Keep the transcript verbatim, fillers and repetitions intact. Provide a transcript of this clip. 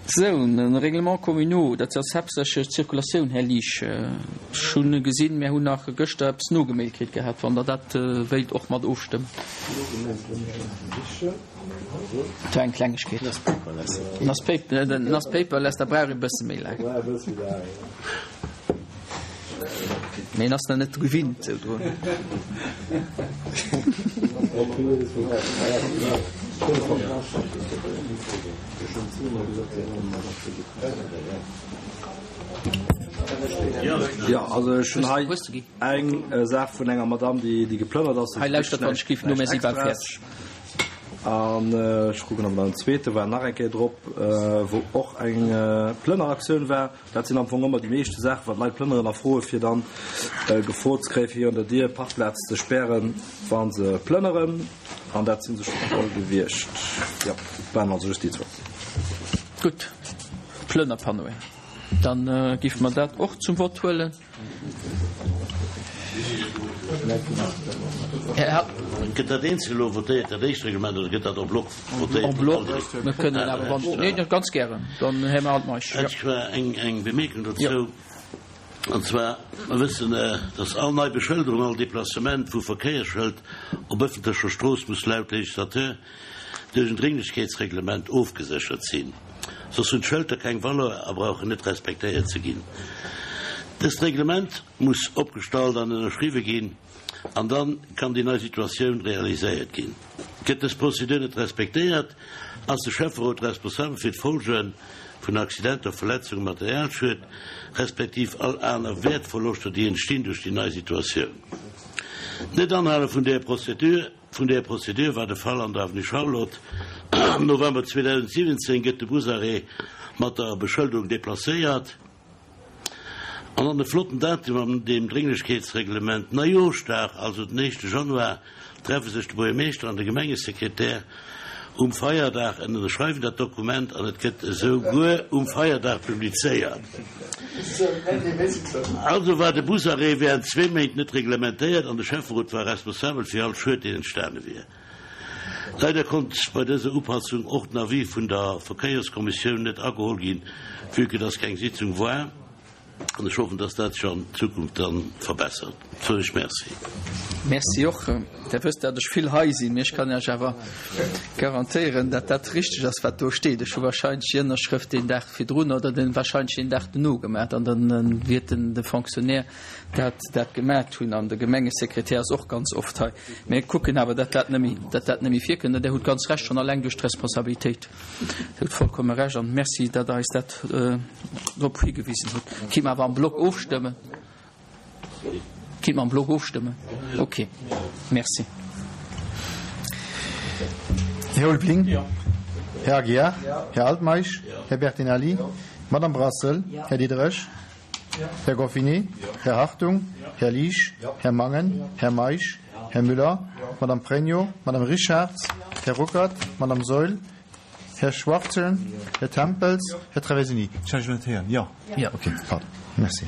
Sou, den Règlement communaux, dat ass haaptsächlech d'Zirkulatioun, Här Liesch. Ech hunn gesinn, mir hunn nach gëschter eppes nogemailt kritt gehat, wann Der dat wéilt och mat ofstëmmen. Dat war eng Klengegkeet. En ass paperless, da brauch ee bësse méi laang. Mee en ass nach net gewinnt esou drun. Jo, also ech hunn hei eng Saach vun enger Madamm, déi geplënnert ass. Hei, lauschtert wann ech géif no, mir si bal fäerdeg. An ech kucken op den zweete war nach eng Kéier drop, wou och eng Plënneraktioun war. Dat sinn am Fong ëmmer déi meeschte Saachen, wat d'Leit plënneren a froe fir dann gefrot ze kréien, fir virun der Dier d'Parkplaz ze spären, wa se plënneren. An dat si se schonn all gewiescht. Jo, et waren also just déi zwou. Gutt, Plënnerpanneauen. Dann géife mer dat och zum Vott huelen. Gëtt dat eenzel elo votéiert, dat éischt Reglement, oder gëtt dat en bloc votéiert? En bloc. Mir kënnen awer wann, nee, ganz gären, dann Här Altmeisch. Hätt ech zwar eng, eng Bemierkung dozou, an zwar, mer wëssen, dass all nei Beschëlderung, all Déplacement vu Verkéiersschëld op ëffentlecher Strooss muss laut Législateur duerch en Dringlechkeetsreglement ofgeséchert sinn, soss hunn d'Schëlter keng Valeur a brauchen net respektéiert ze ginn. Dëst Reglement muss opgestallt an ënnerschriwwe ginn an dann kann déi nei Situatioun realiséiert ginn. Gëtt dës Prozedur net respektéiert, ass de Schäfferot responsabel fir d'Folge vun Accidenter, Verletzungen, Materialschued, respektiv all aner Wäertverloschter, déi entstinn duerch déi nei Situatioun. D'Net-Anhale vun där Prozedur vun där Prozedur war de Fall an der Avenue Charlotte. Am November zweedausentsiwwenzéng gëtt de Busarrêt mat der Beschëlderung deplacéiert. An an e flotten Datum an deem Drénglechkeetsreglement, Neijooschdag, also den éischte Januar, treffe sech de Buergermeeschter an de Gemengesekretär um Feierdag en ënnerschreiwen dat Dokument an et gëtt esou guer um Feierdag publizéiert. Also war de Busarrêt während zwee Méint net reglementéiert an de Schäfferot war responsabel fir all Schued, deen entstane wier. Leider konnt bei dëser Upassung och den Avis vun der Verkéierskommissioun net ageholl ginn, vue que dass keng Sitzung war. An ech hoffen, dass dat sech an Zukunft dann verbessert. Soen ech Merci. Merci och. Der wësst, dat ech vill hei sinn, mee ech kann Iech awer garantéieren, dat dat richteg ass, wat do steet. Ech hu wahrscheinlech déi Ënnerschrëft deen Dag virdrun oder den wahrscheinlech deen Dag dono gemaach an dann wiert den de Fonctionnaire dat dat gemaat hunn an de Gemengesekretär ass och ganz oft hei. Mir kucken awer, dat dat net méi, dat dat net méi virkënnt. An Der hutt ganz Recht, schonn alleng duerch d'Responsabilitéit. Dir hutt vollkomme Recht an Merci, datt Der eis dat drop higewisen hutt. Kinnt mer awer am Block ofstëmmen? Kinnt mer am Block ofstëmmen? Okay. Merci. Här Ulveling? Här Aguiar? Här Altmeisch? Här Bertinelli? Madame Brassel? Här Diderich? Här Goffinet? Här Hartung? Här Liesch? Här Mangen? Här Meisch? Här Müller? Madame Pregno? Madame Richarz? Här Ruckert? Madame Saeul? Här Schwachtgen? Här Tempels? Här Traversini? Ech hat Iech elo net héieren. Jo? Jo. Okay, pardon. Merci.